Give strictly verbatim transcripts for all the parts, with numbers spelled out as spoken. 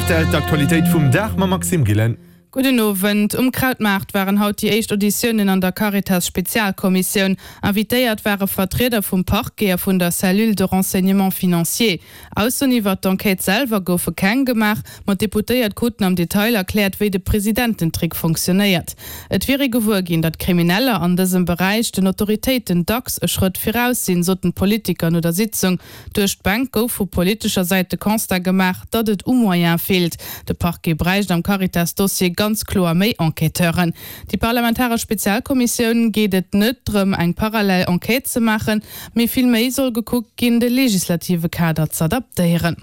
rtl, D'Aktualitéit vum Dag mam Maxime Gillen. Gudden Owend. Um Krautmaart waren haut déi éischt Auditiounen an der Caritas-Spezialkommissioun. Invitéiert ware Vertrieder vum Parquet a vun der Cellule de renseignement financier. Aussoen iwwert d'Enquête selwer goufe keng gemaach, ma d'Deputéiert kruten am Detail erkläert, wéi de Presidententrick fonctionnéiert. Et wier ee gewuer ginn, datt Krimineller an dësem Beräich den Autoritéiten dacks e Schrëtt viraus sinn, soten d'Politiker no der Sitzung. Duerch d'Bänk gouf vu politescher Säit de Constat gemaach, datt et u Moyene feelt. De Parquet bräicht am Caritas-Dossier ganz kloer méi Enquêteuren. Déi parlamentaresch Spezialkommissioun geet et net drëm, eng parallel Enquête ze maachen, mee vill méi soll gekuckt ginn, de legislative Kader z'adaptéieren.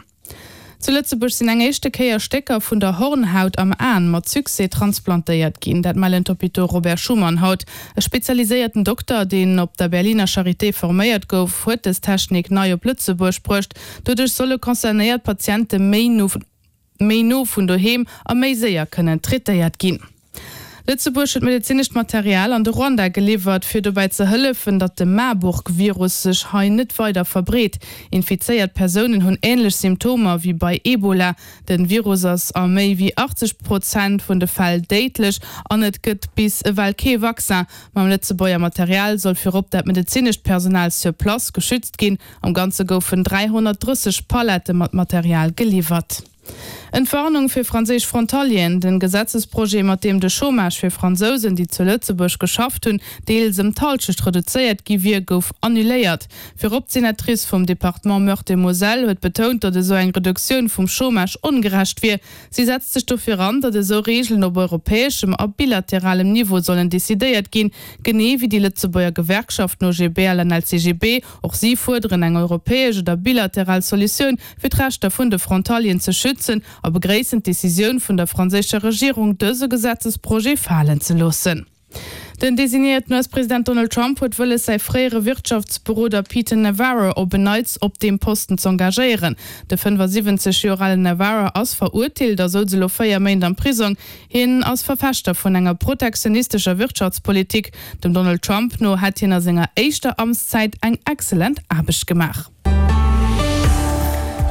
Zu Lëtzebuerg sinn eng éischte Kéier Stécker vun der Hornhaut am Aen mat Succès transplantéiert ginn. Dat mellen d'Hôpitaux Robert Schuman haut. E spezialiséierten Dokter, deen op der Berliner Charité forméiert gouf, huet dës Technik nei op Lëtzebuerg bruecht. Doduerch solle concernéiert Patiente méi no méi no vun doheem a méi séier kënnen traitéiert ginn. Lëtzebuerg huet medezinescht Material an de Ruanda geliwwert, fir dobäi ze hëllefen, datt de Marburg-Virus sech hei net weider verbreet. Infizéiert Persounen hunn änlech Symptomer wéi bei Ebola. De Virus ass a méi wéi achtzeg Prozent vun de Fäll déidlech an et gëtt bis ewell kee Vaccin. Mam Lëtzebuerger Material soll virop dat medezinescht Personal sur place geschützt ginn. Am Ganze goufen dräihonnertdrësseg Pallette mat Material geliwwert. Entwarnung fir franséisch Frontalieren, Den Gesetzesprojet, mat deem de Chômage fir Fransousen, déi zu Lëtzebuerg geschafft hunn, deels ëm d'Hallschecht reduzéiert gi wier, gouf annuléiert. Virop d'Senatrice vum Departement Meurthe-et-Moselle huet betount, datt esou eng Reduktioun vum Chômage ongerecht wier. Si setzt sech dofir an, datt esou Reegelen op europäeschem a bilateralem Niveau sollen decidéiert ginn, genee wéi déi Lëtzebuerger Gewerkschaften O G B L an L C G B. Och si fuerderen eng europäesch oder bilateral Solutioun, fir d'Rechter vun de Frontalieren ze schützen a begréissen d'Decisioun vun der franséischer Regierung, dëse Gesetzesprojet falen ze loossen. Den designéierten U S-President Donald Trump huet wëlles, säi fréiere Wirtschaftsberoder Peter Navarro op en Neits op deem Posten z'engagéieren. De fënnefasiwwenzeg Joer alen Navarro ass verurteelt a souz elo véier Méint am Prisong. Hien ass Verfechter vun enger protektionistescher Wirtschaftspolitik. Dem Donald Trump no hätt hien a senger éischter Amtszäit eng excellent Aarbecht gemaach.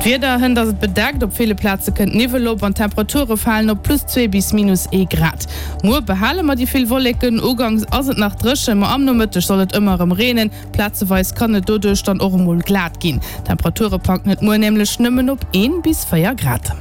D'Wieder, Hënt ass et bedeckt, op ville Plaze kënnt Niwwel op an d'Temperature falen op plus zwee bis minus ee Grad. Muer behale mer déi vill Wolleken, ugangs ass et nach dréchen, ma am Nomëtteg soll et ëmmer erëm reenen. Plazeweis kann et doduerch dann och emol glat ginn. D'Temperature packen et muer nämlech nëmmen op een bis véier Grad.